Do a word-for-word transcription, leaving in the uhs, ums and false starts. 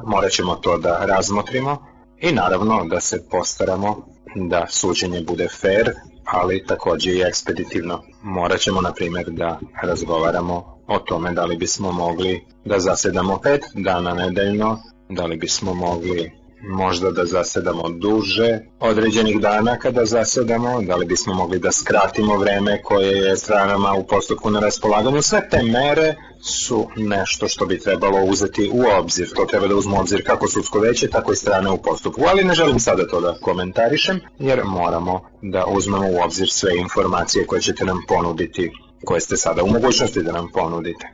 morat ćemo to da razmotrimo i naravno da se postaramo da suđenje bude fair, ali takođe i ekspeditivno. Morat ćemo, na primjer, da razgovaramo o tome da li bismo mogli da zasedamo pet dana nedeljno, da li bismo mogli možda da zasedamo duže određenih dana kada zasedamo, da li bismo mogli da skratimo vreme koje je stranama u postupku na raspolaganju. Sve te mere su nešto što bi trebalo uzeti u obzir. To treba da uzmu u obzir kako sudsko veće, tako i strane u postupku. Ali ne želim sada to da komentarišem, jer moramo da uzmemo u obzir sve informacije koje ćete nam ponuditi, koje ste sada u mogućnosti da nam ponudite.